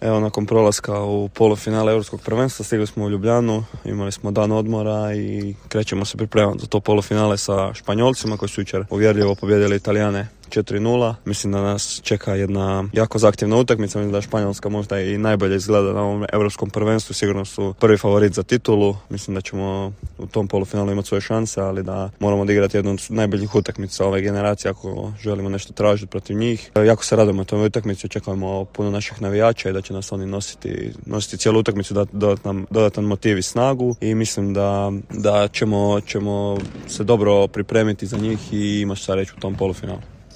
Evo, nakon prolaska u polufinale Europskog prvenstva stigli smo u Ljubljanu, imali smo dan odmora i krećemo se pripremati za to polufinale sa Španjolcima koji su jučer uvjerljivo pobijedili Italijane 4-0. Mislim da nas čeka jedna jako zahtjevna utakmica. Mislim da Španjolska možda i najbolje izgleda na ovom europskom prvenstvu. Sigurno su prvi favorit za titulu. Mislim da ćemo u tom polufinalu imati svoje šanse, ali da moramo odigrati jednu od najboljih utakmica ove generacije ako želimo nešto tražiti protiv njih. Jako se radujemo toj utakmici, očekujemo puno naših navijača i da će nas oni nositi cijelu utakmicu, dodati nam dodatan motiv i snagu i mislim da ćemo se dobro pripremiti za njih i imati šta reći u tom polufinalu.